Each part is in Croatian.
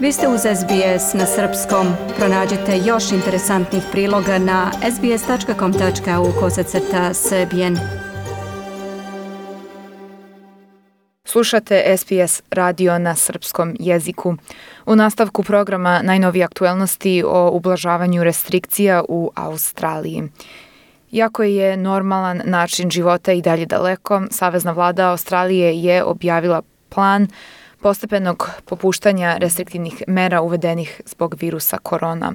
Vi ste uz SBS na srpskom. Pronađite još interesantnih priloga na sbs.com.au/srbijen. Slušate SBS radio na srpskom jeziku. U nastavku programa najnovije aktuelnosti o ublažavanju restrikcija u Australiji. Iako je normalan način života i dalje daleko, Savezna vlada Australije je objavila plan postepenog popuštanja restriktivnih mera uvedenih zbog virusa korona.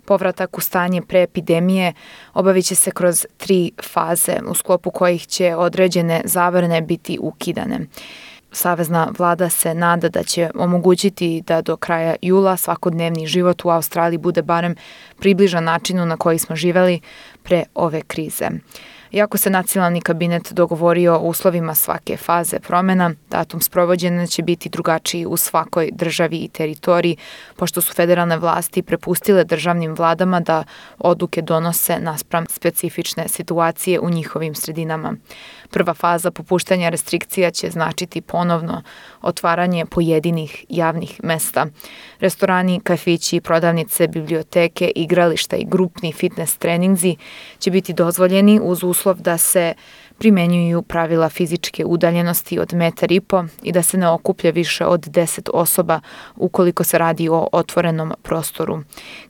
Povratak u stanje pre epidemije obavit će se kroz 3 faze, u sklopu kojih će određene zabrane biti ukidane. Savezna vlada se nada da će omogućiti da do kraja jula svakodnevni život u Australiji bude barem približan načinu na koji smo živeli pre ove krize. Iako se nacionalni kabinet dogovorio o uslovima svake faze promjena, datum sprovođenja će biti drugačiji u svakoj državi i teritoriji, pošto su federalne vlasti prepustile državnim vladama da odluke donose naspram specifične situacije u njihovim sredinama. Prva faza popuštanja restrikcija će značiti ponovno otvaranje pojedinih javnih mesta. Restorani, kafići, prodavnice, biblioteke, igrališta i grupni fitness treninzi će biti dozvoljeni uz uslov da se primenjuju pravila fizičke udaljenosti od 1,5 metra i da se ne okuplja više od 10 osoba ukoliko se radi o otvorenom prostoru.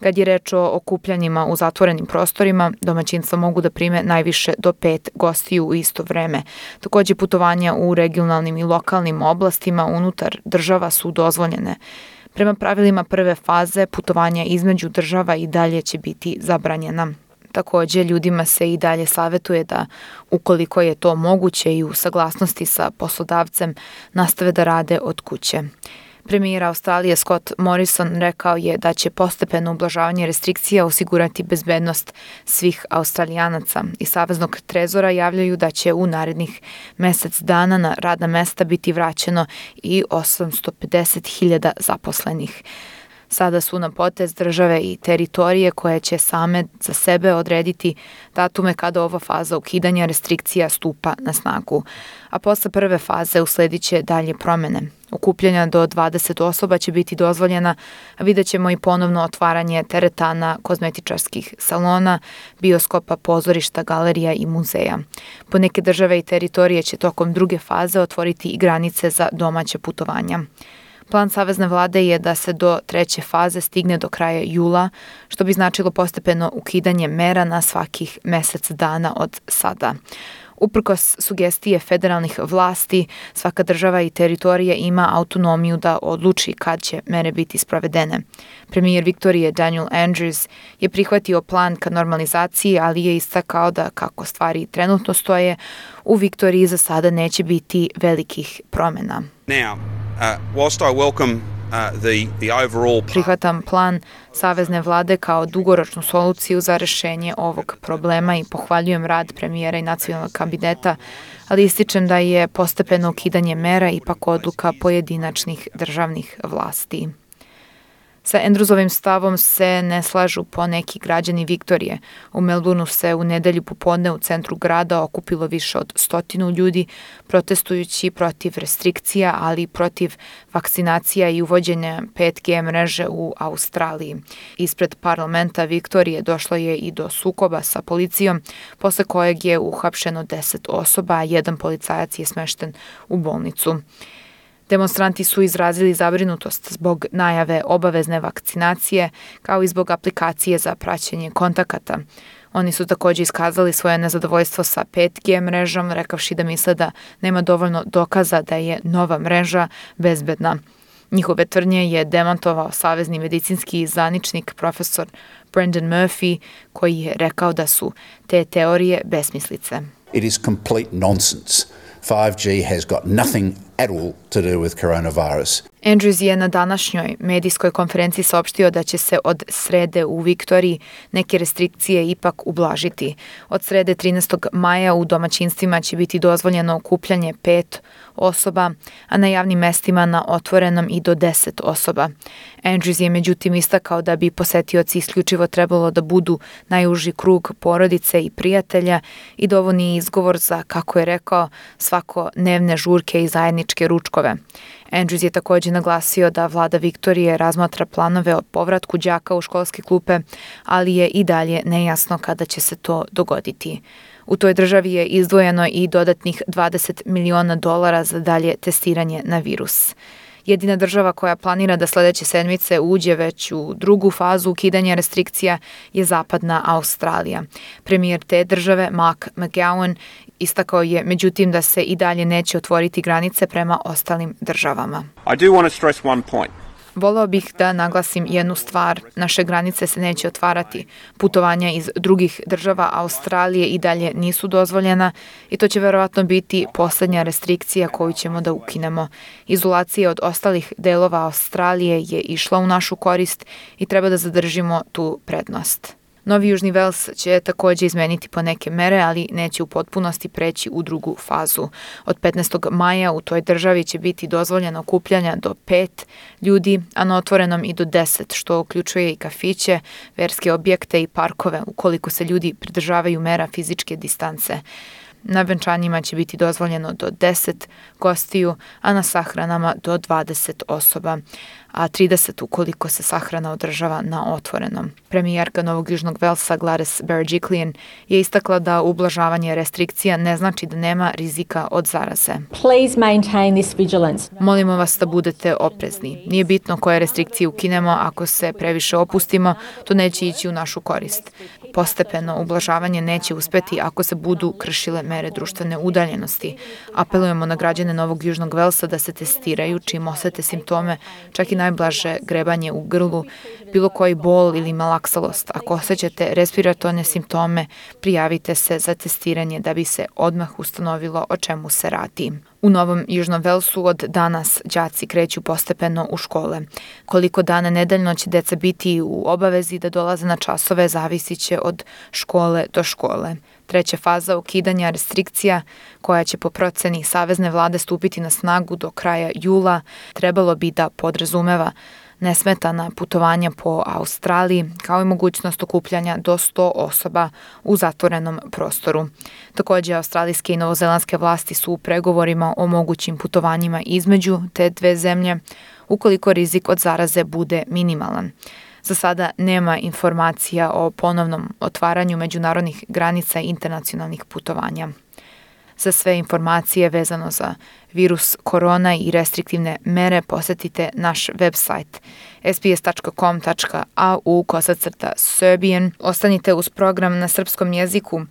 Kad je reč o okupljanjima u zatvorenim prostorima, domaćinstva mogu da prime najviše do 5 gostiju u isto vreme. Također putovanja u regionalnim i lokalnim oblastima unutar država su dozvoljene. Prema pravilima prve faze, putovanja između država i dalje će biti zabranjena. Također, ljudima se i dalje savjetuje da, ukoliko je to moguće i u saglasnosti sa poslodavcem, nastave da rade od kuće. Premijer Australije Scott Morrison rekao je da će postepeno ublažavanje restrikcija osigurati bezbednost svih Australijanaca. Iz Saveznog trezora javljaju da će u narednih mjesec dana na radna mesta biti vraćeno i 850.000 zaposlenih. Sada su na potez države i teritorije koje će same za sebe odrediti datume kada ova faza ukidanja restrikcija stupa na snagu. A posle prve faze usledit će dalje promjene. Okupljanja do 20 osoba će biti dozvoljena, a vidjet ćemo i ponovno otvaranje teretana, kozmetičarskih salona, bioskopa, pozorišta, galerija i muzeja. Po neke države i teritorije će tokom druge faze otvoriti i granice za domaće putovanja. Plan Savezne vlade je da se do 3. faze stigne do kraja jula, što bi značilo postepeno ukidanje mera na svakih mjesec dana od sada. Uprkos sugestije federalnih vlasti, svaka država i teritorija ima autonomiju da odluči kad će mere biti sprovedene. Premijer Viktorije Daniel Andrews je prihvatio plan ka normalizaciji, ali je istakao da kako stvari trenutno stoje, u Viktoriji za sada neće biti velikih promjena. Prihvatam plan Savezne vlade kao dugoročnu soluciju za rješenje ovog problema i pohvaljujem rad premijera i nacionalnog kabineta, ali ističem da je postepeno ukidanje mera ipak odluka pojedinačnih državnih vlasti. Sa Andrewsovim stavom se ne slažu poneki građani Viktorije. U Melbourneu se u nedelju popodne u centru grada okupilo više od 100 ljudi protestujući protiv restrikcija, ali i protiv vakcinacija i uvođenja 5G mreže u Australiji. Ispred parlamenta Viktorije došlo je i do sukoba sa policijom, posle kojeg je uhapšeno 10 osoba, a jedan policajac je smešten u bolnicu. Demonstranti su izrazili zabrinutost zbog najave obavezne vakcinacije, kao i zbog aplikacije za praćenje kontakata. Oni su također iskazali svoje nezadovoljstvo sa 5G mrežom, rekavši da misle da nema dovoljno dokaza da je nova mreža bezbedna. Njihove tvrdnje je demantovao savezni medicinski zvaničnik profesor Brendan Murphy, koji je rekao da su te teorije besmislice. It is complete nonsense. 5G has got nothing at all to do with coronavirus. Andrews je na današnjoj medijskoj konferenciji saopštio da će se od srede u Viktoriji neke restrikcije ipak ublažiti. Od srede 13. maja u domaćinstvima će biti dozvoljeno okupljanje 5 osoba, a na javnim mestima na otvorenom i do 10 osoba. Andrews je međutim istakao da bi posetioci isključivo trebalo da budu najuži krug porodice i prijatelja i da ovo nije izgovor za, kako je rekao, svakodnevne žurke i zajedničke trgovačke ručkove. Andrews je također naglasio da vlada Viktorije razmatra planove o povratku đaka u školske klupe, ali je i dalje nejasno kada će se to dogoditi. U toj državi je izdvojeno i dodatnih $20 miliona za dalje testiranje na virus. Jedina država koja planira da sledeće sedmice uđe već u drugu fazu ukidanja restrikcija je zapadna Australija. Premijer te države, Mark McGowan, istakao je međutim da se i dalje neće otvoriti granice prema ostalim državama. I do want to stress one point. Voleo bih da naglasim jednu stvar. Naše granice se neće otvarati. Putovanja iz drugih država Australije i dalje nisu dozvoljena i to će verovatno biti posljednja restrikcija koju ćemo da ukinemo. Izolacija od ostalih delova Australije je išla u našu korist i treba da zadržimo tu prednost. Novi Južni Vels će također izmeniti po neke mere, ali neće u potpunosti preći u drugu fazu. Od 15. maja u toj državi će biti dozvoljeno okupljanja do 5 ljudi, a na otvorenom i do 10, što uključuje i kafiće, verske objekte i parkove, ukoliko se ljudi pridržavaju mera fizičke distance. Na venčanjima će biti dozvoljeno do 10 gostiju, a na sahranama do 20 osoba, a 30 ukoliko se sahrana održava na otvorenom. Premijerka Novog Južnog Velsa Gladys Berejiklian je istakla da ublažavanje restrikcija ne znači da nema rizika od zaraze. Please maintain this vigilance. Molimo vas da budete oprezni. Nije bitno koje restrikcije ukinemo, ako se previše opustimo, to neće ići u našu korist. Postepeno ublažavanje neće uspeti ako se budu kršile mere društvene udaljenosti. Apelujemo na građane Novog Južnog Velsa da se testiraju čim osete simptome, čak i najblaže grebanje u grlu, bilo koji bol ili malaksalost. Ako osjećate respiratorne simptome, prijavite se za testiranje da bi se odmah ustanovilo o čemu se radi. U Novom Južnom Velsu od danas đaci kreću postepeno u škole. Koliko dana nedeljno će deca biti u obavezi da dolaze na časove zavisit će od škole do škole. Treća faza ukidanja restrikcija, koja će po proceni savezne vlade stupiti na snagu do kraja jula, trebalo bi da podrazumeva nesmetana putovanja po Australiji, kao i mogućnost okupljanja do 100 osoba u zatvorenom prostoru. Također, australijske i novozelandske vlasti su u pregovorima o mogućim putovanjima između te dve zemlje, ukoliko rizik od zaraze bude minimalan. Za sada nema informacija o ponovnom otvaranju međunarodnih granica i internacionalnih putovanja. Za sve informacije vezano za virus korona i restriktivne mere posjetite naš website sbs.com.au/Serbian. Ostanite uz program na srpskom jeziku.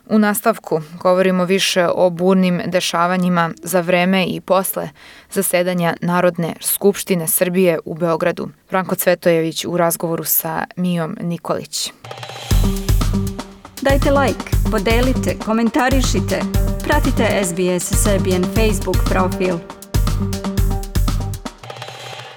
U nastavku govorimo više o burnim dešavanjima za vreme i posle zasedanja Narodne skupštine Srbije u Beogradu. Branko Cvetojević u razgovoru sa Mijom Nikolić. Dajte like, podelite, komentarišite. Pratite SBS Serbian Facebook profil.